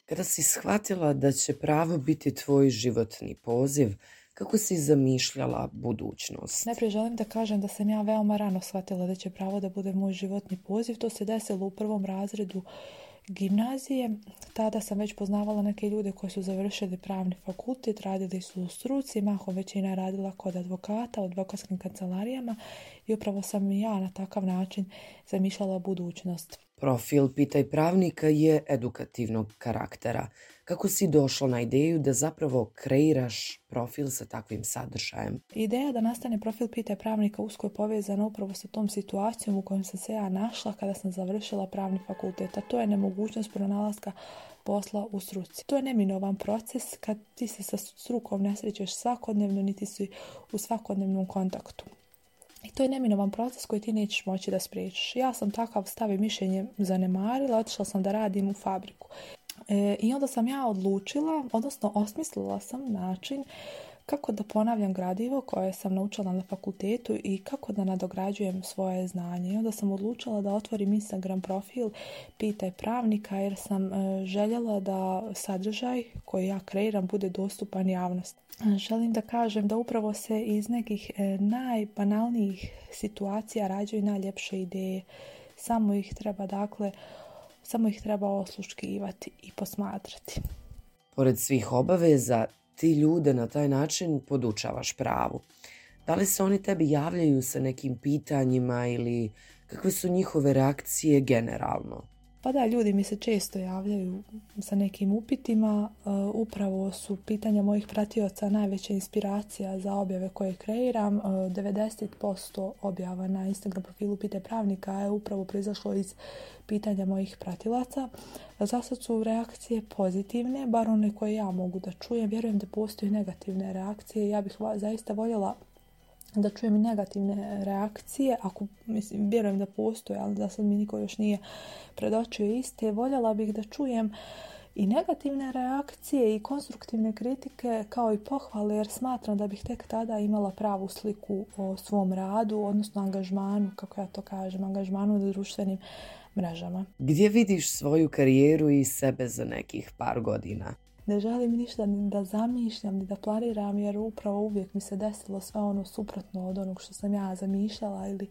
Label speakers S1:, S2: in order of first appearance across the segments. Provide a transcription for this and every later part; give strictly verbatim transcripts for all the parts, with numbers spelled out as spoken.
S1: Kada si shvatila da će pravo biti tvoj životni poziv, kako si zamišljala budućnost?
S2: Najprije želim da kažem da sam ja veoma rano shvatila da će pravo da bude moj životni poziv. To se desilo u prvom razredu gimnazije. Tada sam već poznavala neke ljude koji su završili pravni fakultet, radili su u struci, mahom većina radila kod advokata, u advokatskim kancelarijama i upravo sam i ja na takav način zamišljala budućnost.
S1: Profil Pitaj pravnika je edukativnog karaktera. Kako si došla na ideju da zapravo kreiraš profil sa takvim sadržajem?
S2: Ideja da nastane profil Pitaj pravnika usko je povezana upravo sa tom situacijom u kojoj sam se ja našla kada sam završila pravni fakultet, a to je nemogućnost pronalaska posla u struci. To je neminovan proces kad ti se sa strukom ne srećeš svakodnevno, niti si u svakodnevnom kontaktu. I to je neminovan proces koji ti nećeš moći da spriječiš. Ja sam takav stav i mišljenje zanemarila, otišla sam da radim u fabriku. E, I onda sam ja odlučila, odnosno osmislila sam način kako da ponavljam gradivo koje sam naučila na fakultetu i kako da nadograđujem svoje znanje. I onda sam odlučila da otvorim Instagram profil Pitaj pravnika jer sam e, željela da sadržaj koji ja kreiram bude dostupan javnosti. Želim da kažem da upravo se iz nekih e, najbanalnijih situacija rađaju najljepše ideje. Samo ih treba, dakle, samo ih treba osluškivati i posmatrati.
S1: Pored svih obaveza, ti ljude na taj način podučavaš pravu. Da li se oni tebi javljaju sa nekim pitanjima ili kakve su njihove reakcije generalno?
S2: Pa da, ljudi mi se često javljaju sa nekim upitima. E, upravo su pitanja mojih pratioca najveća inspiracija za objave koje kreiram. E, devedeset posto objava na Instagram profilu Pitaj pravnika je upravo proizašlo iz pitanja mojih pratilaca. Za sad su reakcije pozitivne, bar one koje ja mogu da čujem. Vjerujem da postoje negativne reakcije. Ja bih zaista voljela da čujem i negativne reakcije, ako, mislim, vjerujem da postoje, ali da sad mi niko još nije predočio iste. Voljela bih da čujem i negativne reakcije i konstruktivne kritike kao i pohvale, jer smatram da bih tek tada imala pravu sliku o svom radu, odnosno angažmanu, kako ja to kažem, angažmanu na društvenim mrežama.
S1: Gdje vidiš svoju karijeru i sebe za nekih par godina?
S2: Ne želim ništa ni da zamišljam, ni da planiram, jer upravo uvijek mi se desilo sve ono suprotno od onog što sam ja zamišljala ili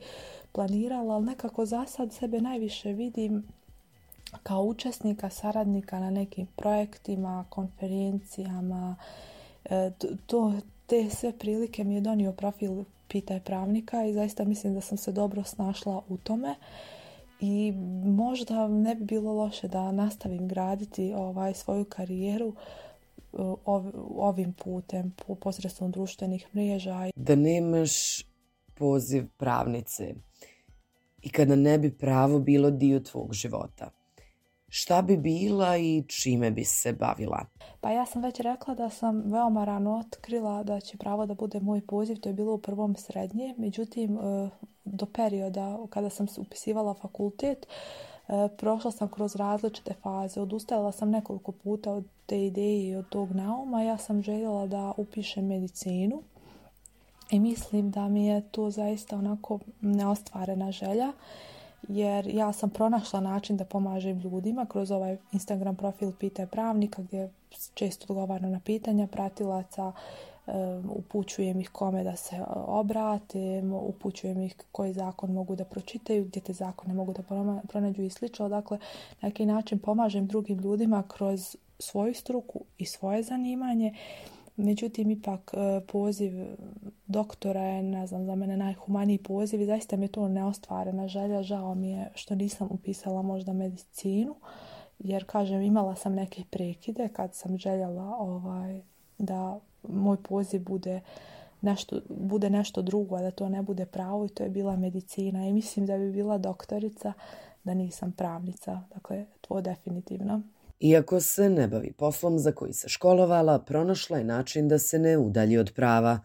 S2: planirala, ali nekako za sad sebe najviše vidim kao učesnika, saradnika na nekim projektima, konferencijama. E, to, te sve prilike mi je donio profil Pitaj pravnika i zaista mislim da sam se dobro snašla u tome. I možda ne bi bilo loše da nastavim graditi ovaj svoju karijeru ovim putem, posredstvom društvenih mreža.
S1: Da nemaš poziv pravnice i kada ne bi pravo bilo dio tvog života, šta bi bila i čime bi se bavila?
S2: Pa ja sam već rekla da sam veoma rano otkrila da će pravo da bude moj poziv. To je bilo u prvom srednje. Međutim, do perioda kada sam se upisivala fakultet, prošla sam kroz različite faze. Odustajala sam nekoliko puta od te ideje i od tog nauma. Ja sam željela da upišem medicinu i mislim da mi je to zaista onako neostvarena želja. Jer ja sam pronašla način da pomažem ljudima kroz ovaj Instagram profil Pitaj pravnika gdje često odgovaram na pitanja pratilaca, upućujem ih kome da se obrate, upućujem ih koji zakon mogu da pročitaju, gdje te zakone mogu da pronađu i slično. Dakle, na neki način pomažem drugim ljudima kroz svoju struku i svoje zanimanje. Međutim, ipak poziv doktora je, ne znam, za mene najhumaniji poziv i zaista mi je to neostvarena želja. Žao mi je što nisam upisala možda medicinu, jer, kažem, imala sam neke prekide kad sam željela ovaj, da moj poziv bude nešto, bude nešto drugo, a da to ne bude pravo, i to je bila medicina. I mislim da bi bila doktorica da nisam pravnica. Dakle, to definitivno.
S1: Iako se ne bavi poslom za koji se školovala, pronašla je način da se ne udalji od prava.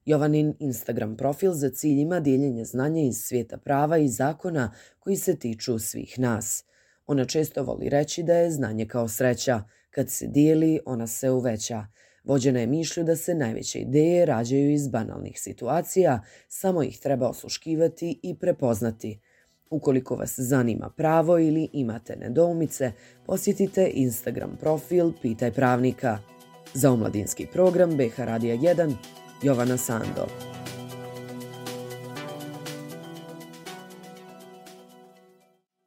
S1: Jovanin Instagram profil za cilj ima dijeljenje znanja iz svijeta prava i zakona koji se tiču svih nas. Ona često voli reći da je znanje kao sreća. Kad se dijeli, ona se uveća. Vođena je mišlju da se najveće ideje rađaju iz banalnih situacija, samo ih treba osluškivati i prepoznati. Ukoliko vas zanima pravo ili imate nedoumice, posjetite Instagram profil Pitaj pravnika. Za omladinski program B H Radija jedan, Jovana Sando.